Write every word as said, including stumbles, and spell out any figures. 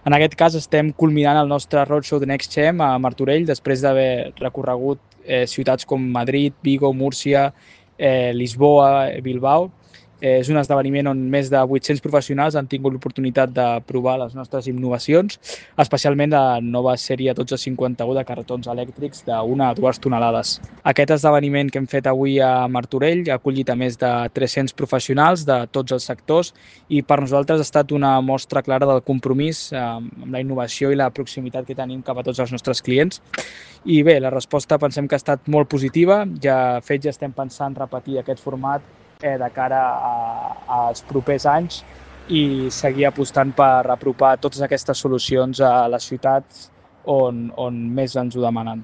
En aquest cas estem culminant el nostre roadshow de NextGem a Martorell després d'haver recorregut eh, ciutats com Madrid, Vigo, Múrcia, eh, Lisboa, Bilbao. Eh, és un esdeveniment on més de vuit-cents professionals han tingut l'oportunitat de provar les nostres innovacions, especialment la nova sèrie dotze cinquanta-u de carretons elèctrics d'una a dues tonelades. Aquest esdeveniment que hem fet avui a Martorell ha acollit a més de tres-cents professionals de tots els sectors i per nosaltres ha estat una mostra clara del compromís eh, amb la innovació i la proximitat que tenim cap a tots els nostres clients. I bé, la resposta pensem que ha estat molt positiva. Ja fet ja estem pensant repetir aquest format eh, de cara a, als propers anys i seguir apostant per apropar totes aquestes solucions a les ciutats on, on més ens ho demanen.